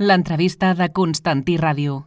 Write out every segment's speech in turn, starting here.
L'entrevista de Constantí Ràdio.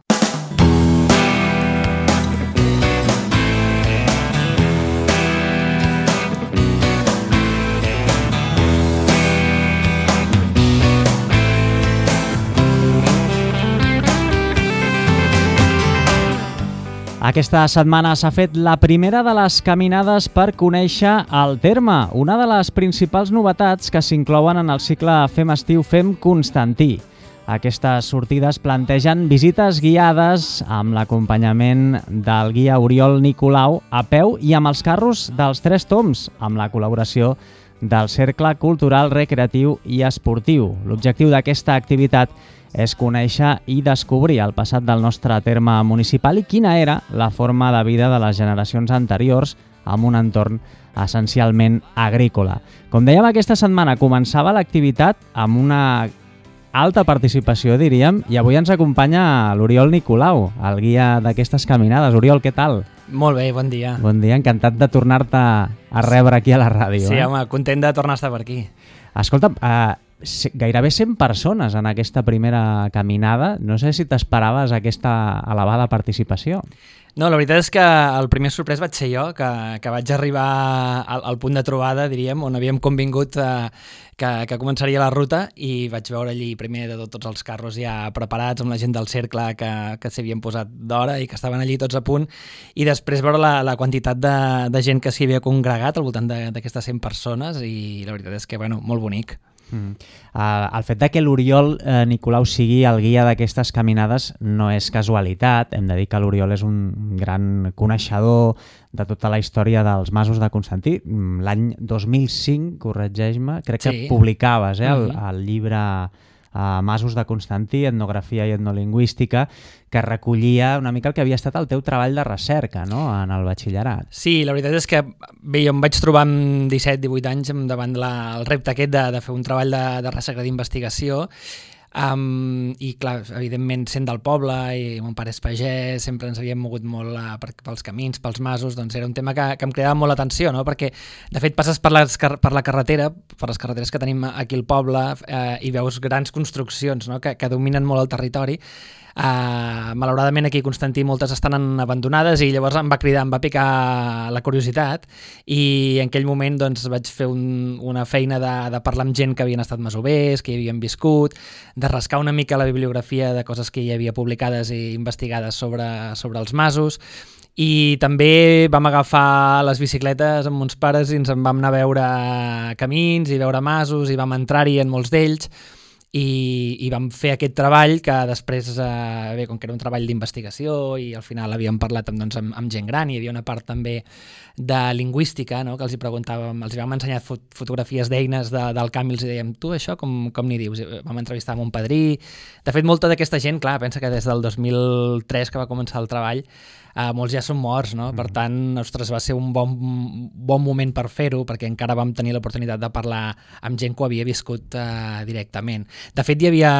Aquesta setmana s'ha fet la primera de les caminades per conèixer el terme, una de les principals novetats que s'inclouen en el cicle Fem Estiu, Fem Constantí. Aquestes sortides plantegen visites guiades amb l'acompanyament del guia Oriol Nicolau a peu i amb els carros dels Tres Tombs, amb la col·laboració del Cercle Cultural, Recreatiu i Esportiu. L'objectiu d'aquesta activitat és conèixer i descobrir el passat del nostre terme municipal i quina era la forma de vida de les generacions anteriors amb un entorn essencialment agrícola. Com dèiem, aquesta setmana començava l'activitat amb una alta participació, diríem, i avui ens acompanya l'Oriol Nicolau, el guia d'aquestes caminades. Oriol, què tal? Molt bé, bon dia. Bon dia, encantat de tornar-te a rebre aquí a la ràdio. Sí, home, content de tornar a estar per aquí. Escolta'm, gairebé 100 persones en aquesta primera caminada. No sé si t'esperaves aquesta elevada participació. No, la veritat és que el primer sorprès vaig ser jo, que vaig arribar al punt de trobada, diríem, on havíem convingut que començaria la ruta, i vaig veure allí primer de tots els carros ja preparats amb la gent del cercle que s'havien posat d'hora i que estaven allí tots a punt, i després veure la quantitat de gent que s'hi havia congregat al voltant d'aquestes 100 persones, i la veritat és que, bueno, molt bonic. El fet de que l'Oriol Nicolau sigui el guia d'aquestes caminades no és casualitat. Hem de dir que l'Oriol és un gran coneixedor de tota la història dels masos de Constantí. L'any 2005, corregeix-me, crec que publicaves el llibre Masos de Constantí, etnografia i etnolingüística, que recollia una mica el que havia estat el teu treball de recerca, no?, en el batxillerat. Sí, la veritat és que bé, jo em vaig trobar amb 17-18 anys davant el repte aquest de fer un treball de recerca d'investigació. I clar, evidentment, sent del poble i mon pare és pagès, sempre ens havíem mogut molt pels camins, pels masos, doncs era un tema que em cridava molt l'atenció, no? Perquè de fet passes per la carretera, per les carreteres que tenim aquí al poble, i veus grans construccions, no?, que dominen molt el territori. Malauradament aquí a Constantí moltes estan abandonades, i llavors em va cridar, em va picar la curiositat, i en aquell moment doncs, vaig fer una feina de parlar amb gent que havien estat masovers, que hi havien viscut, de rascar una mica la bibliografia de coses que hi havia publicades i investigades sobre els masos. I també vam agafar les bicicletes amb uns pares i ens en vam anar a veure camins i veure masos, i vam entrar-hi en molts d'ells, i vam fer aquest treball que després, bé, com que era un treball d'investigació i al final havíem parlat amb gent gran, i hi havia una part també de lingüística, no?, que els hi preguntàvem, els vam ensenyar fotografies d'eines del camp i els dèiem, tu això com n'hi dius? Vam entrevistar amb un padrí. De fet, molta d'aquesta gent, clar, pensa que des del 2003 que va començar el treball, molts ja són morts, no? Per tant, ostres, va ser un bon moment per fer-ho, perquè encara vam tenir l'oportunitat de parlar amb gent que ho havia viscut directament. De fet, hi havia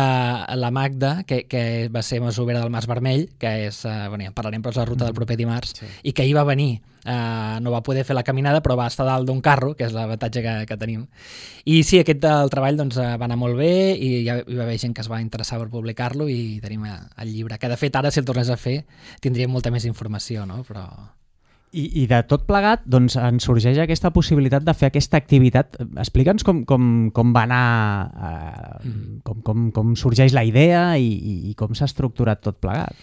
la Magda, que va ser masovera del Mas Vermell, que és, bueno, ja parlarem, però és la ruta del proper dimarts, i que hi va venir. No va poder fer la caminada, però va estar dalt d'un carro, que és l'avantatge que tenim. I sí, el treball doncs, va anar molt bé, i hi va haver gent que es va interessar per publicar-lo, i tenim el llibre, que de fet ara, si el tornés a fer, tindríem molta més informació, no? Però... I de tot plegat, doncs, ens sorgeix aquesta possibilitat de fer aquesta activitat. Explica'ns com va anar, com sorgeix la idea i com s'ha estructurat tot plegat.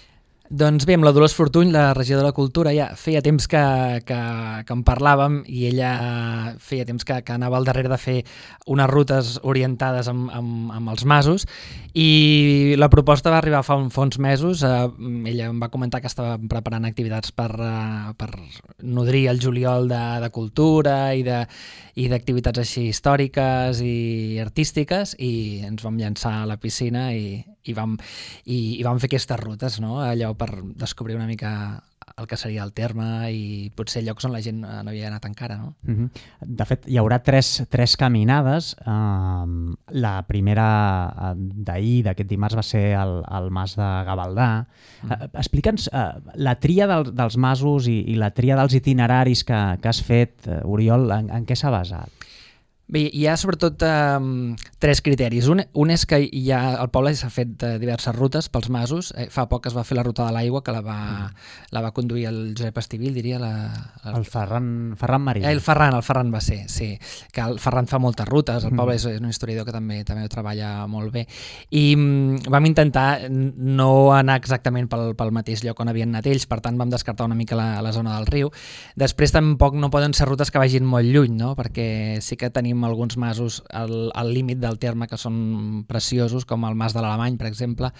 Doncs bé, amb la Dolors Fortuny, la regidora de Cultura, ja feia temps que en parlàvem, i ella feia temps que anava al darrere de fer unes rutes orientades amb els masos, i la proposta va arribar fa uns mesos. Ella em va comentar que estava preparant activitats per nodrir el juliol de cultura i d'activitats així històriques i artístiques, i ens vam llançar a la piscina i vam fer aquestes rutes, no? Allò per descobrir una mica el que seria el terme i potser llocs on la gent no havia anat encara, no? De fet, hi haurà tres caminades. La primera d'ahir, d'aquest dimarts, va ser al Mas de Gavaldà. Explica'ns la tria dels masos i la tria dels itineraris que has fet, Oriol, en què s'ha basat? Bé, hi ha sobretot 3 criteris. Un és que el poble s'ha fet diverses rutes pels masos. Fa poc es va fer la ruta de l'aigua, que la va conduir el Josep Estivill, diria. El Ferran Marí. El Ferran va ser, sí. Que el Ferran fa moltes rutes, el poble és un historiador que també ho treballa molt bé. I vam intentar no anar exactament pel mateix lloc on havien anat ells, per tant vam descartar una mica la zona del riu. Després tampoc no poden ser rutes que vagin molt lluny, no? Perquè sí que tenim alguns masos al límit del terme que són preciosos, com el Mas de l'Alemany, per exemple,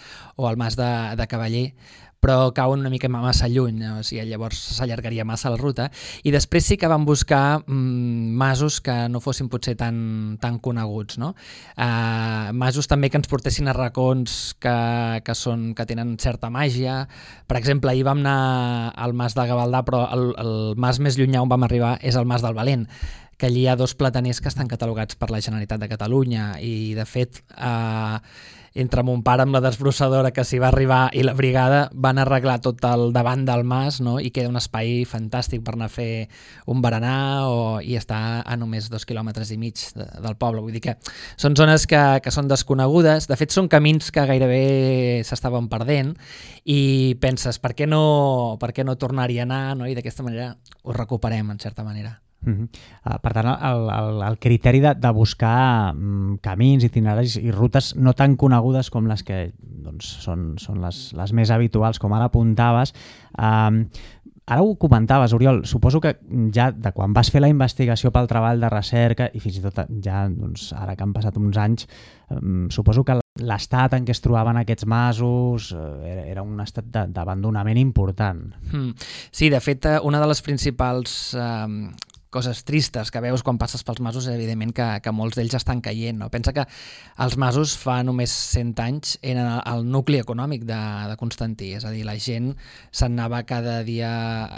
o el Mas de Cavaller, però cauen una mica massa lluny, o sigui, llavors s'allargaria massa la ruta. I després sí que vam buscar masos que no fossin potser tan coneguts, no? Masos també que ens portessin a racons que tenen certa màgia. Per exemple, ahir vam anar al Mas de Gavaldà, però el mas més llunyà on vam arribar és el Mas del Valent, que allí hi ha 2 plataners que estan catalogats per la Generalitat de Catalunya i, de fet, entre mon pare amb la desbrossadora que s'hi va arribar i la brigada van arreglar tot el davant del mas, no? I queda un espai fantàstic per anar a fer un berenar i està a només 2,5 quilòmetres del poble. Vull dir que són zones que són desconegudes. De fet, són camins que gairebé s'estaven perdent i penses, per què no tornar-hi a anar, no? I d'aquesta manera ho recuperem, en certa manera. Per tant, el criteri de buscar camins, itineraris i rutes no tan conegudes com les que són les més habituals, com ara apuntaves. Ara ho comentaves, Oriol, suposo que ja de quan vas fer la investigació pel treball de recerca i fins i tot ja ara que han passat uns anys, suposo que l'estat en què es trobaven aquests masos era un estat d'abandonament important. Sí, de fet, una de les principals coses tristes que veus quan passes pels masos és evidentment que molts d'ells estan caient. No? Pensa que els masos fa només 100 anys eren el nucli econòmic de Constantí, és a dir, la gent se'n anava cada dia,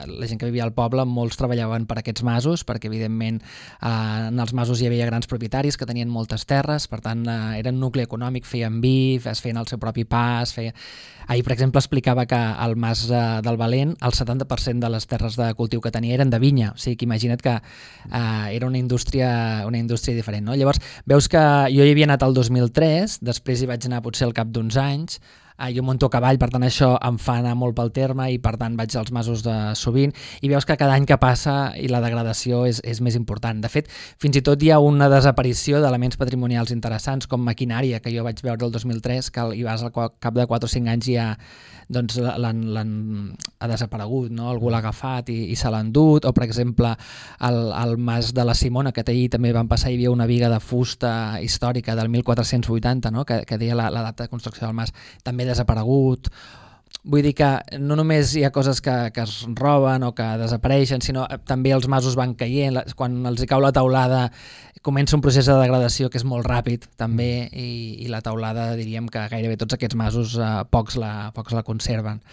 la gent que vivia al poble, molts treballaven per aquests masos, perquè evidentment en els masos hi havia grans propietaris que tenien moltes terres, per tant eren nucli econòmic, feien vi, es feien el seu propi pa, Ahir, per exemple, explicava que al Mas del Valent el 70% de les terres de cultiu que tenia eren de vinya, o sigui que imagina't que era una indústria diferent. No? Llavors, veus que jo hi havia anat el 2003, després hi vaig anar potser al cap d'uns anys, jo monto a cavall, per tant això em fa anar molt pel terme i per tant vaig als masos sovint i veus que cada any que passa i la degradació és més important. De fet, fins i tot hi ha una desaparició d'elements patrimonials interessants com maquinària, que jo vaig veure el 2003, que hi vas al cap de 4 o 5 anys ja ha desaparegut, no? Algú l'ha agafat i se l'ha endut, o per exemple al Mas de la Simona, que ahir també van passar, hi havia una viga de fusta històrica del 1480, no? que deia la data de construcció del mas, també desaparegut. Vull dir que no només hi ha coses que es roben o que desapareixen, sinó també els masos van caient, quan els hi cau la teulada comença un procés de degradació que és molt ràpid també i la teulada diríem que gairebé tots aquests masos pocs la conserven.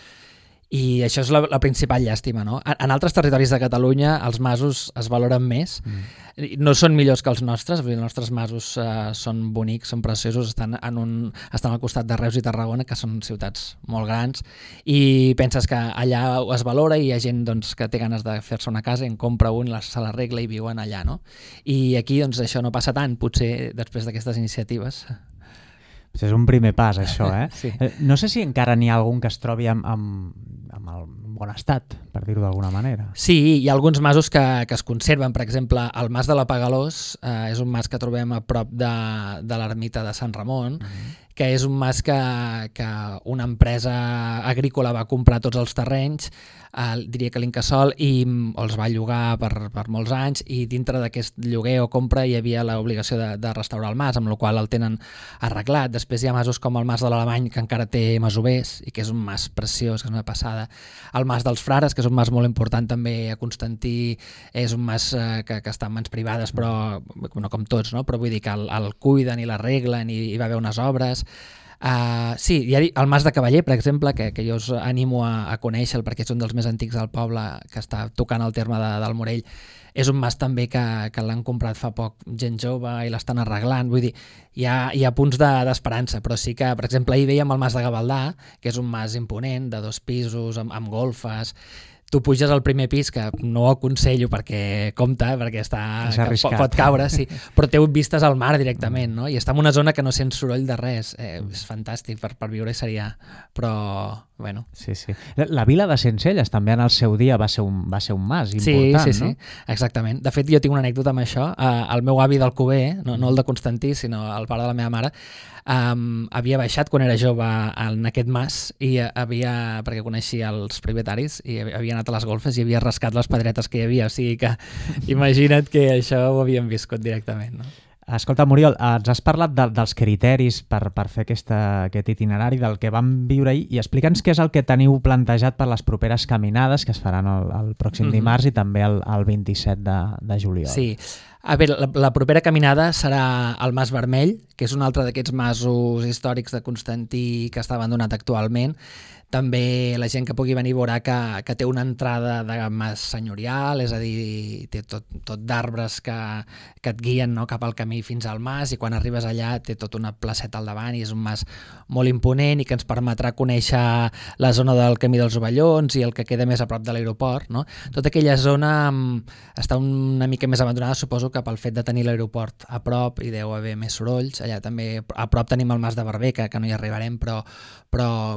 I això és la principal llàstima, no? En altres territoris de Catalunya els masos es valoren més, no són millors que els nostres, els nostres masos són bonics, són preciosos, estan al costat de Reus i Tarragona, que són ciutats molt grans, i penses que allà es valora i hi ha gent que té ganes de fer-se una casa i en compra un, se l'arregla i viuen allà, no? I aquí això no passa tant, potser després d'aquestes iniciatives. És un primer pas, això, Sí. No sé si encara n'hi ha algun que es trobi amb el bon estat, per dir-ho d'alguna manera. Sí, hi ha alguns masos que es conserven. Per exemple, el Mas de la Pagalós és un mas que trobem a prop de l'ermita de Sant Ramon, que és un mas que una empresa agrícola va comprar tots els terrenys, diria que l'Incasòl, i els va llogar per molts anys, i dintre d'aquest lloguer o compra hi havia l'obligació de restaurar el mas, amb la qual el tenen arreglat. Després hi ha masos com el Mas de l'Alemany, que encara té masovers, i que és un mas preciós, que és una passada. El Mas dels Frares, que és un mas molt important també a Constantí, és un mas que està en mans privades, però no com tots, no? Però vull dir que el cuiden i l'arreglen i hi va haver unes obres. Sí, hi ha el Mas de Cavaller, per exemple, que jo us animo a conèixer perquè és un dels més antics del poble, que està tocant el terme del Morell. És un mas també que l'han comprat fa poc gent jove i l'estan arreglant. Vull dir, hi ha punts d'esperança, però sí que, per exemple, ahir veiem el Mas de Gavaldà, que és un mas imponent, de 2 pisos, amb golfes. tu puges al primer pis, que no ho aconsello perquè compta, perquè pot caure, sí, però té vistes al mar directament, no? I està en una zona que no sents soroll de res. És fantàstic, per viure seria... Però, bueno... Sí. La vila de Sencelles també en el seu dia va ser un mas important, sí, no? Sí, exactament. De fet, jo tinc una anècdota amb això. El meu avi d'Alcover, no el de Constantí, sinó el pare de la meva mare, havia baixat quan era jove en aquest mas i perquè coneixia els propietaris i havia anat a les golfes i havia rascat les pedretes que hi havia, o sigui que imagina't que això ho havíem viscut directament, no? Escolta, Muriel, ens has parlat dels criteris per fer aquest itinerari, del que vam viure ahir, i explica'ns què és el que teniu plantejat per les properes caminades que es faran el pròxim dimarts i també el 27 de juliol. Sí. A veure, la propera caminada serà al Mas Vermell, que és un altre d'aquests masos històrics de Constantí que està abandonat actualment. També la gent que pugui venir veurà que té una entrada de mas senyorial, és a dir, té tot d'arbres que et guien, no, cap al camí fins al mas, i quan arribes allà té tota una placeta al davant i és un mas molt imponent i que ens permetrà conèixer la zona del Camí dels Ovellons i el que queda més a prop de l'aeroport, no? Tota aquella zona està una mica més abandonada, suposo que pel fet de tenir l'aeroport a prop i deu haver més sorolls. Allà també a prop tenim el Mas de Barber, que no hi arribarem, però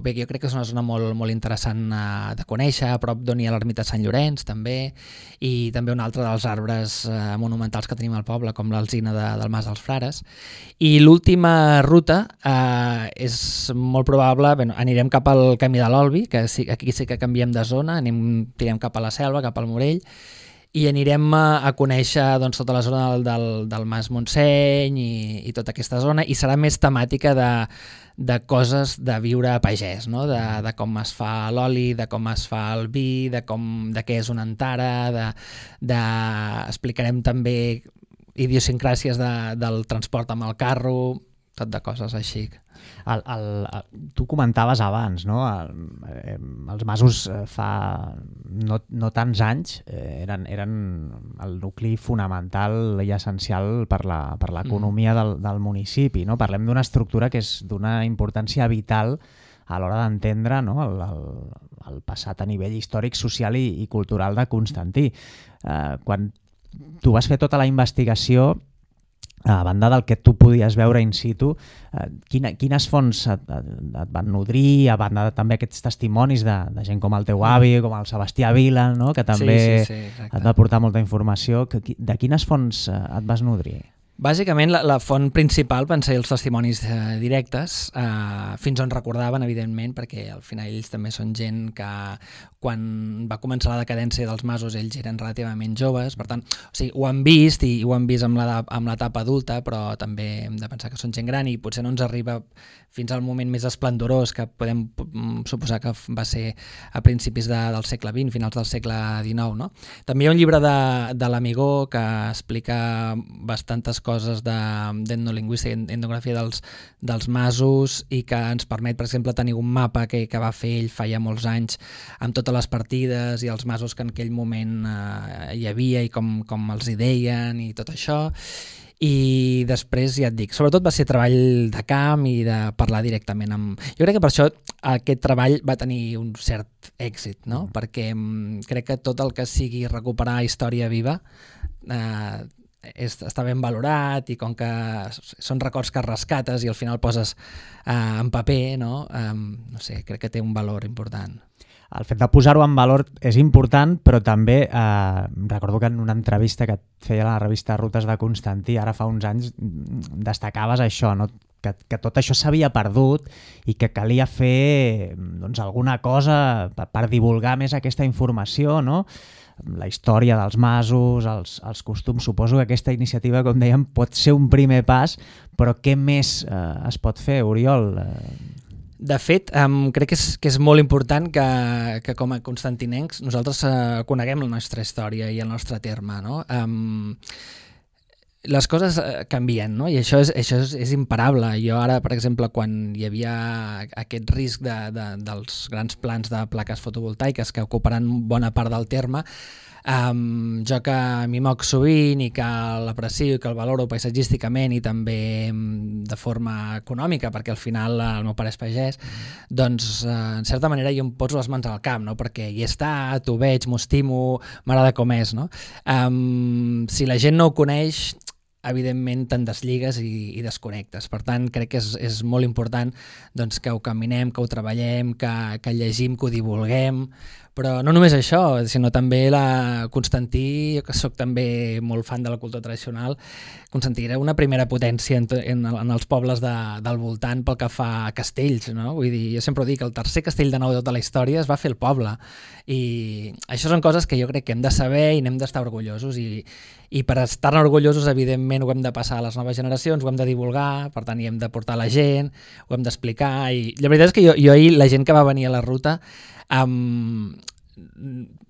bé, jo crec que és una zona molt interessant de conèixer, a prop d'on hi ha l'ermita de Sant Llorenç també, i també un altre dels arbres monumentals que tenim al poble, com l'alzina del Mas dels Frares. I l'última ruta és molt probable, anirem cap al Camí de l'Olvi, que aquí sí que canviem de zona, tirem cap a la Selva, cap al Morell, i anirem a conèixer tota la zona del Mas Montseny i tota aquesta zona, i serà més temàtica de coses de viure a pagès, no? De com es fa l'oli, de com es fa el vi, de què és una antara, explicarem també idiosincràcies del transport amb el carro, tot de coses així. Tu comentaves abans, no? Els masos fa no tants anys eren el nucli fonamental i essencial per l'economia del municipi, no? Parlem d'una estructura que és d'una importància vital a l'hora d'entendre, no, el passat a nivell històric, social i cultural de Constantí. Quan tu vas fer tota la investigació, a banda del que tu podies veure in situ, quines fonts et van nodrir, a banda també aquests testimonis de gent com el teu avi, com el Sebastià Vila, no? Que també et va portar molta informació. De quines fonts et vas nodrir? Bàsicament, la font principal van ser els testimonis directes, fins on recordaven, evidentment, perquè al final ells també són gent que quan va començar la decadència dels masos ells eren relativament joves, per tant, o sigui, ho han vist i ho han vist amb l'etapa adulta, però també hem de pensar que són gent gran i potser no ens arriba fins al moment més esplendorós que podem suposar que va ser a principis del segle XX, finals del segle XIX, no? També hi ha un llibre de l'Amigó que explica bastantes coses d'etnolingüística, etnografia dels masos, i que ens permet, per exemple, tenir un mapa que va fer ell fa ja molts anys amb totes les partides i els masos que en aquell moment hi havia i com els hi deien i tot això. I després, ja et dic, sobretot va ser treball de camp i de parlar directament amb... Jo crec que per això aquest treball va tenir un cert èxit, no? Perquè crec que tot el que sigui recuperar història viva està ben valorat, i com que són records que rescates i al final poses en paper, no? No sé, crec que té un valor important. El fet de posar-ho en valor és important, però també recordo que en una entrevista que et feia a la revista Rutes de Constantí, ara fa uns anys, destacaves això, no? Que tot això s'havia perdut i que calia fer alguna cosa per divulgar més aquesta informació, no? La història dels masos, els costums. Suposo que aquesta iniciativa, com dèiem, pot ser un primer pas, però què més es pot fer, Oriol? De fet, crec que és molt important que com a constantinencs nosaltres coneguem la nostra història i el nostre terme, no? les coses canvien, no? I això és imparable. Jo ara, per exemple, quan hi havia aquest risc dels grans plans de plaques fotovoltaiques que ocuparan bona part del terme, jo que m'hi moc sovint i que l'aprecio i que el valoro paisatgísticament i també de forma econòmica, perquè al final el meu pare és pagès, doncs en certa manera jo em poso les mans al camp, no? Perquè hi he estat, ho veig, m'ho estimo, m'agrada com és, no? Si la gent no ho coneix, evidentment te'n desligues i desconnectes. Per tant, crec que és molt important doncs, que ho caminem, que ho treballem, que llegim, que ho divulguem, però no només això, sinó també Constantí, jo que soc també molt fan de la cultura tradicional, Constantí era una primera potència en els pobles del voltant pel que fa a castells, no? Vull dir, jo sempre ho dic, el tercer castell de nou de tota la història es va fer al poble, i això són coses que jo crec que hem de saber i n'hem d'estar orgullosos, i per estar-ne orgullosos, evidentment, ho hem de passar a les noves generacions, ho hem de divulgar, per tant, hi hem de portar la gent, ho hem d'explicar, i la veritat és que jo ahir, la gent que va venir a la ruta,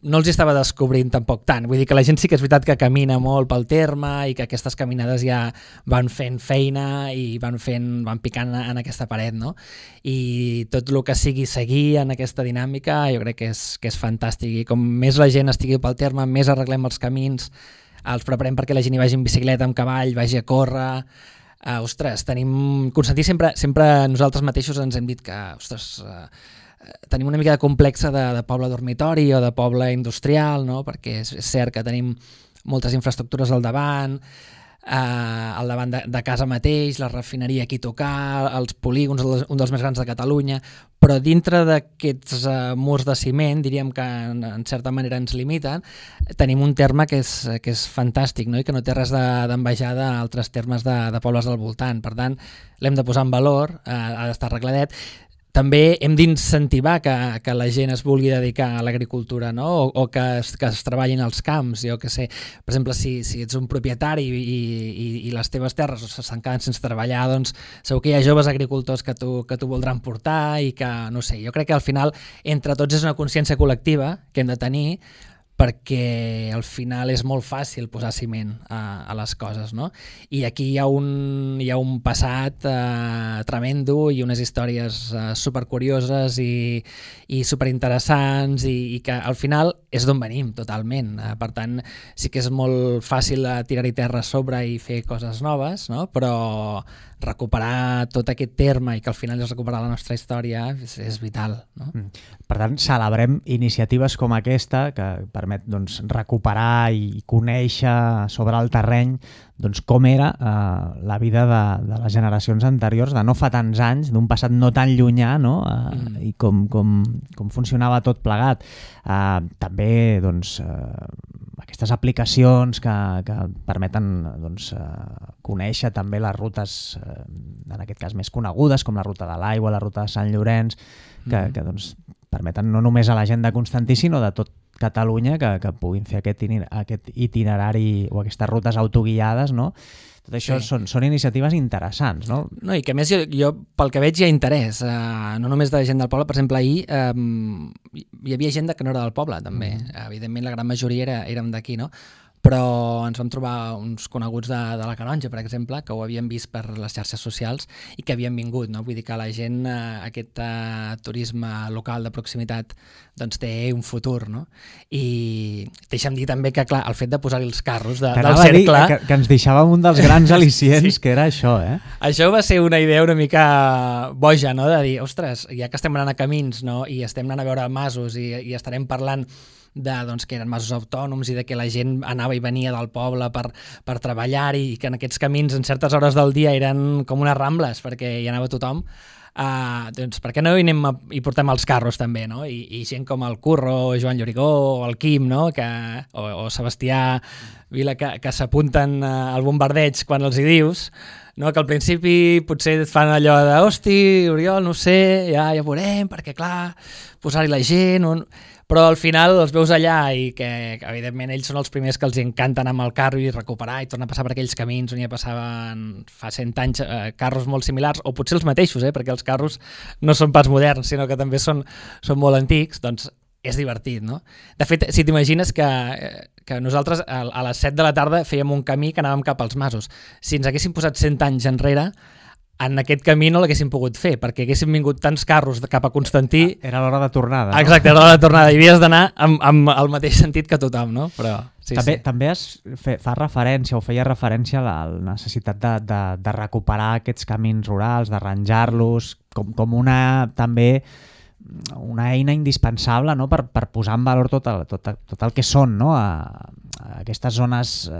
no els estava descobrint tampoc tant, vull dir que la gent sí que és veritat que camina molt pel terme i que aquestes caminades ja van fent feina i van picant en aquesta paret, no? I tot el que sigui seguir en aquesta dinàmica jo crec que és fantàstic, i com més la gent estigui pel terme, més arreglem els camins, els preparem perquè la gent hi vagi en bicicleta, amb cavall, vagi a córrer. Ostres, Constantí sempre nosaltres mateixos ens hem dit que, tenim una mica de complexa de poble dormitori o de poble industrial, no? Perquè és cert que tenim moltes infraestructures al davant de casa mateix, la refineria aquí a tocar, els polígons, un dels més grans de Catalunya, però dintre d'aquests murs de ciment, diríem que en certa manera ens limiten, tenim un terme que és fantàstic, no? I que no té res d'envejar d'altres termes de pobles del voltant. Per tant, l'hem de posar en valor, ha d'estar arregladet. També hem d'incentivar que la gent es vulgui dedicar a l'agricultura, no? O que es treballin als camps, jo que sé. Per exemple, si ets un propietari i les teves terres s'han quedat sense treballar, doncs segur que hi ha joves agricultors que t'ho voldran portar i que, no sé, jo crec que al final entre tots és una consciència col·lectiva que hem de tenir, perquè al final és molt fàcil posar ciment a les coses, no? I aquí hi ha un passat tremendo i unes històries supercurioses i superinteressants i que al final és d'on venim totalment. Per tant, sí que és molt fàcil tirar-hi terra a sobre i fer coses noves, no? Però recuperar tot aquest terme i que al final és recuperar la nostra història és vital, no? Per tant, celebrem iniciatives com aquesta que permet recuperar i conèixer sobre el terreny com era la vida de les generacions anteriors, de no fa tants anys, d'un passat no tan llunyà, no? I com funcionava tot plegat. També aquestes aplicacions que permeten conèixer també les rutes, en aquest cas més conegudes, com la ruta de l'Aigua, la ruta de Sant Llorenç, que permeten no només a la gent de Constantí, sinó de tot Catalunya que puguin fer aquest itinerari o aquestes rutes autoguiades, no? Tot això són iniciatives interessants, no? No, i que a més jo pel que veig hi ha interès, no només de gent del poble. Per exemple, ahir hi havia gent que no era del poble, també. Evidentment la gran majoria érem d'aquí, no? Però ens vam trobar uns coneguts de la Canonja, per exemple, que ho havien vist per les xarxes socials i que havien vingut, no? Vull dir que la gent, aquest turisme local de proximitat, doncs té un futur, no? I deixa'm dir també que, clar, el fet de posar-hi els carros del cercle... Que ens deixàvem un dels grans al·licients, que era això, eh? Això va ser una idea una mica boja, no? De dir, ostres, ja que estem anant a camins, no? I estem anant a veure masos i estarem parlant que eren masos autònoms i de que la gent anava i venia del poble per treballar i que en aquests camins en certes hores del dia eren com unes rambles perquè hi anava tothom, doncs per què no hi portem els carros també, no? I gent com el Curro, Joan Llorigó o el Quim, no? O Sebastià Vila, que s'apunten al bombardeig quan els hi dius, no? Que al principi potser et fan allò de hosti, Oriol, no sé, ja veurem, perquè clar, posar-hi la gent... Però al final els veus allà i que evidentment ells són els primers que els encanta anar amb el carro i recuperar i tornar a passar per aquells camins on ja passaven fa 100 anys carros molt similars, o potser els mateixos, perquè els carros no són pas moderns, sinó que també són molt antics. Doncs és divertit, no? De fet, si t'imagines que nosaltres a les 7 de la tarda fèiem un camí que anàvem cap als masos. Si ens haguéssim posat 100 anys enrere, en aquest camí no l'haguéssim pogut fer, perquè haguéssim vingut tants carros cap a Constantí... Era l'hora de tornada, no? Exacte, era l'hora de tornada, i havies d'anar amb el mateix sentit que tothom, no? Però, també fa referència o feia referència a la necessitat de recuperar aquests camins rurals, d'arranjar-los, com també una eina indispensable, no? per posar en valor tot el que són, no? Aquestes zones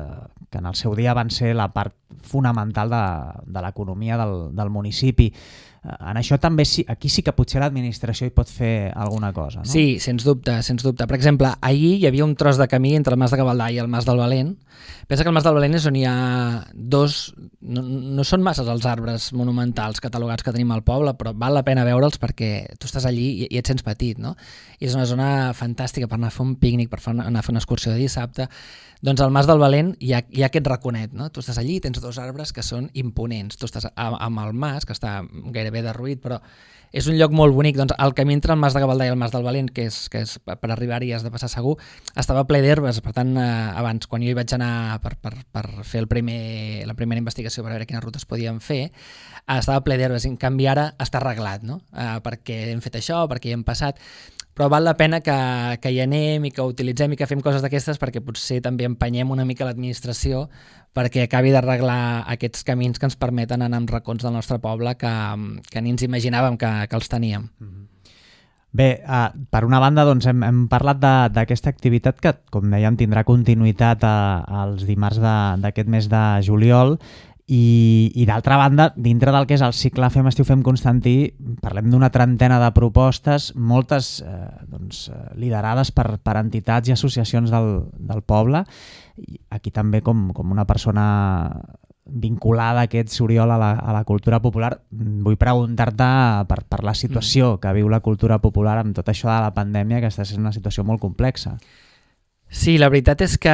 que en el seu dia van ser la part fonamental de l'economia del municipi. En això també aquí sí que potser l'administració hi pot fer alguna cosa, no? Sí, sens dubte, sens dubte. Per exemple, ahir hi havia un tros de camí entre el Mas de Gavaldà i el Mas del Valent. Pensa que el Mas del Valent és on hi ha dos... No són masses els arbres monumentals catalogats que tenim al poble, però val la pena veure'ls perquè tu estàs allí i et sents petit, no? I és una zona fantàstica per anar a fer un pícnic, per anar a fer una excursió de dissabte. Doncs al Mas del Valent hi ha aquest raconet, no? Tu estàs allí i tens dos arbres que són imponents. Tu estàs amb el mas, que està gairebé derruït, però és un lloc molt bonic. Doncs el camí entre el Mas de Gavaldà i el Mas del Valent, que és per arribar-hi has de passar segur, estava ple d'herbes. Per tant, abans, quan jo hi vaig anar per fer la primera investigació per veure quines rutes podíem fer, estava ple d'herbes. En canvi, ara està arreglat, no? Perquè hem fet això, perquè hi hem passat... Però val la pena que hi anem i que utilitzem i que fem coses d'aquestes perquè potser també empenyem una mica l'administració perquè acabi d'arreglar aquests camins que ens permeten anar en racons del nostre poble que ni ens imaginàvem que els teníem. Bé, per una banda doncs, hem parlat d'aquesta activitat que, com dèiem, tindrà continuïtat els dimarts d'aquest mes de juliol. I d'altra banda, dintre del que és el cicle Fem Estiu, Fem Constantí, parlem d'una trentena de propostes, moltes liderades per entitats i associacions del poble. Aquí també com una persona vinculada a aquest Oriol a la cultura popular, vull preguntar-te per la situació que viu la cultura popular amb tot això de la pandèmia, que està sent una situació molt complexa. Sí, la veritat és que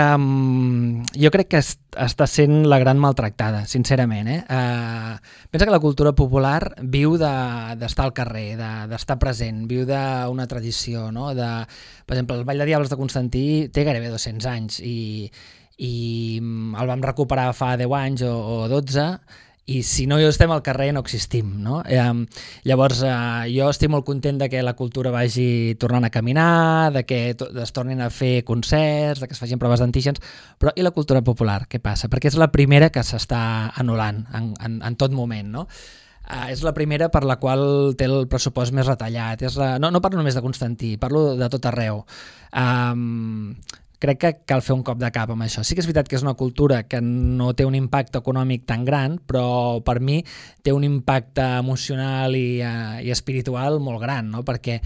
jo crec que està sent la gran maltractada, sincerament. Pensa que la cultura popular viu d'estar al carrer, d'estar present, viu d'una tradició, no? Per exemple, el Ball de Diables de Constantí té gairebé 200 anys i el vam recuperar fa 10 anys o 12, i si no estem al carrer no existim, no? Llavors jo estic molt content de que la cultura vagi tornant a caminar, de que es tornin a fer concerts, de que es facin proves d'antígens, però i la cultura popular, què passa? Perquè és la primera que s'està anul·lant en tot moment, no? És la primera per la qual té el pressupost més retallat. No parlo només de Constantí, parlo de tot arreu. Crec que cal fer un cop de cap amb això. Sí que és veritat que és una cultura que no té un impacte econòmic tan gran, però per mi té un impacte emocional i espiritual molt gran, no? Perquè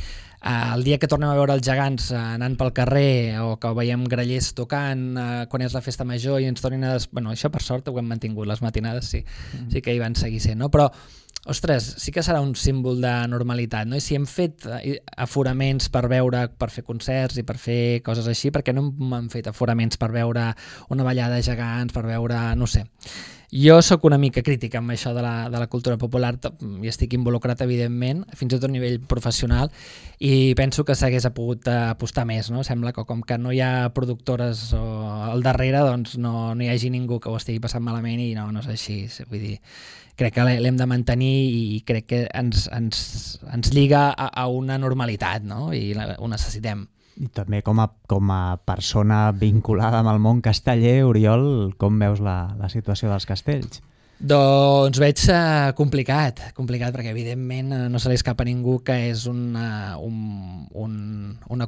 el dia que tornem a veure els gegants anant pel carrer o que veiem grallers tocant quan és la festa major i ens tornin a... Bueno, això per sort ho hem mantingut, les matinades sí que hi van seguir sent, no? Però ostres, sí que serà un símbol de normalitat, no? I si hem fet aforaments per fer concerts i per fer coses així, per què no hem fet aforaments per veure una ballada de gegants, per veure... no sé. Jo sóc una mica crítica amb això de la cultura popular i estic involucrat, evidentment, fins i tot a nivell professional, i penso que s'hagués pogut apostar més, no? Sembla que com que no hi ha productores al darrere, doncs no hi hagi ningú que ho estigui passant malament i no és així. Vull dir, crec que l'hem de mantenir i crec que ens lliga a una normalitat, no? I ho necessitem. I també com a persona vinculada amb el món casteller, Oriol, com veus la situació dels castells? Doncs veig complicat perquè evidentment no se li escapa a ningú que és una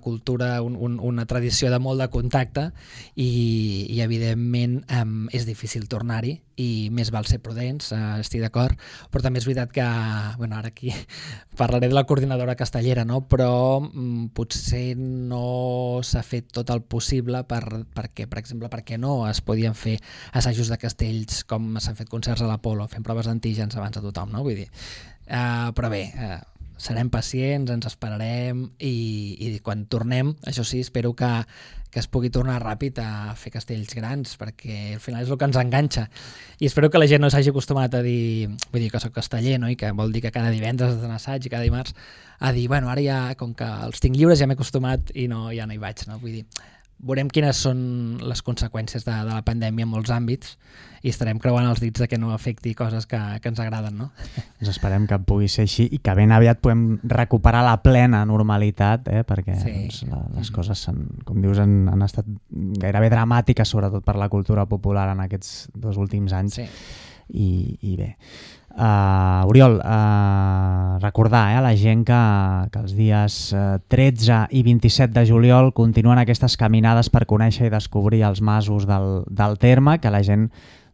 cultura, una tradició de molt de contacte i evidentment és difícil tornar-hi i més val ser prudents, estic d'acord, però també és veritat que, bueno, ara aquí parlaré de la coordinadora castellera, no? Però potser no s'ha fet tot el possible perquè, per exemple, perquè no es podien fer assajos de castells com s'han fet concerts a l'Apolo, fent proves d'antígens abans de tothom, no? Vull dir, però bé, serem pacients, ens esperarem i quan tornem, això sí, espero que es pugui tornar ràpid a fer castells grans, perquè al final és el que ens enganxa. I espero que la gent no s'hagi acostumat a dir, vull dir que soc casteller, no? I que vol dir que cada divendres has d'anar a assaig i cada dimarts, a dir, bueno, ara ja, com que els tinc lliures, ja m'he acostumat i ja no hi vaig, no? Vull dir, veurem quines són les conseqüències de la pandèmia en molts àmbits i estarem creuant els dits de que no afecti coses que ens agraden, no? Doncs esperem que pugui ser així i que ben aviat podem recuperar la plena normalitat, perquè doncs, les coses, com dius, han estat gairebé dramàtiques, sobretot per la cultura popular en aquests 2 últims anys. Sí. I bé. Oriol, recordar a la gent que els dies 13 i 27 de juliol continuen aquestes caminades per conèixer i descobrir els masos del terme, que la gent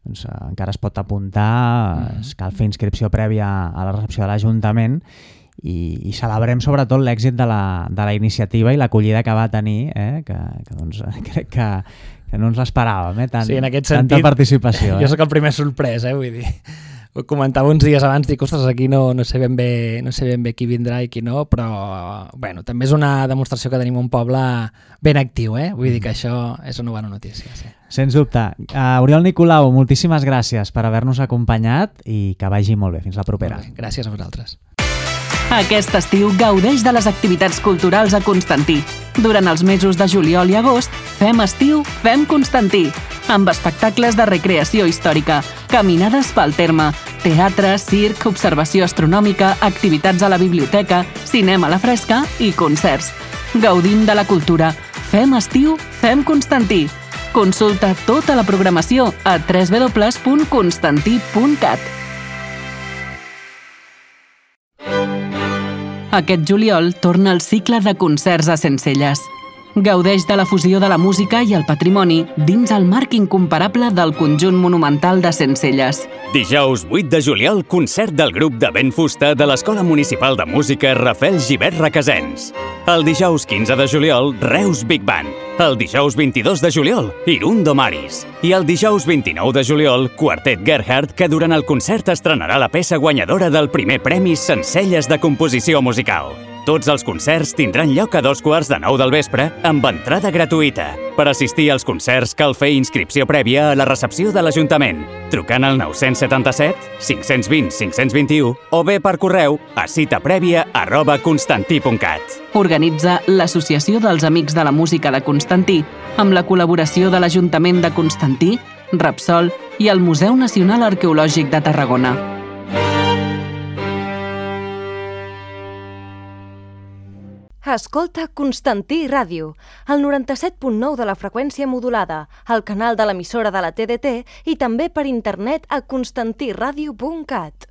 doncs, encara es pot apuntar, cal fer inscripció prèvia a la recepció de l'Ajuntament i celebrem sobretot l'èxit de la iniciativa i l'acollida que va tenir, que doncs, crec que no ens l'esperàvem, sí, en aquest sentit, tanta participació. Jo sóc el primer sorprès, vull dir. Ho comentava uns dies abans, dic, ostres, aquí no sé ben bé qui vindrà i qui no, però bueno, també és una demostració que tenim un poble ben actiu, vull dir que això és una bona notícia. Sí. Sens dubte. Oriol Nicolau, moltíssimes gràcies per haver-nos acompanyat i que vagi molt bé. Fins la propera. Gràcies a vosaltres. Aquest estiu gaudeix de les activitats culturals a Constantí. Durant els mesos de juliol i agost, fem estiu, fem Constantí, amb espectacles de recreació històrica, caminades pel terme, teatre, circ, observació astronòmica, activitats a la biblioteca, cinema a la fresca i concerts. Gaudim de la cultura. Fem estiu, fem Constantí. Consulta tota la programació a www.constantí.cat. Aquest juliol torna el cicle de concerts a Sencelles. Gaudeix de la fusió de la música i el patrimoni dins el marc incomparable del conjunt monumental de Sencelles. Dijous 8 de juliol, concert del grup de vent fusta de l'Escola Municipal de Música Rafael Gibert Requesens. El dijous 15 de juliol, Reus Big Band. El dijous 22 de juliol, Irundo Maris. I el dijous 29 de juliol, Quartet Gerhard, que durant el concert estrenarà la peça guanyadora del primer premi Sencelles de Composició Musical. Tots els concerts tindran lloc a 2:15 del vespre amb entrada gratuïta. Per assistir als concerts cal fer inscripció prèvia a la recepció de l'Ajuntament, trucant al 977 520 521 o bé per correu a citaprèvia@constantí.cat. Organitza l'Associació dels Amics de la Música de Constantí, amb la col·laboració de l'Ajuntament de Constantí, Repsol i el Museu Nacional Arqueològic de Tarragona. Escolta Constantí Ràdio, el 97.9 de la freqüència modulada, al canal de l'emissora de la TDT i també per internet a constantiradio.cat.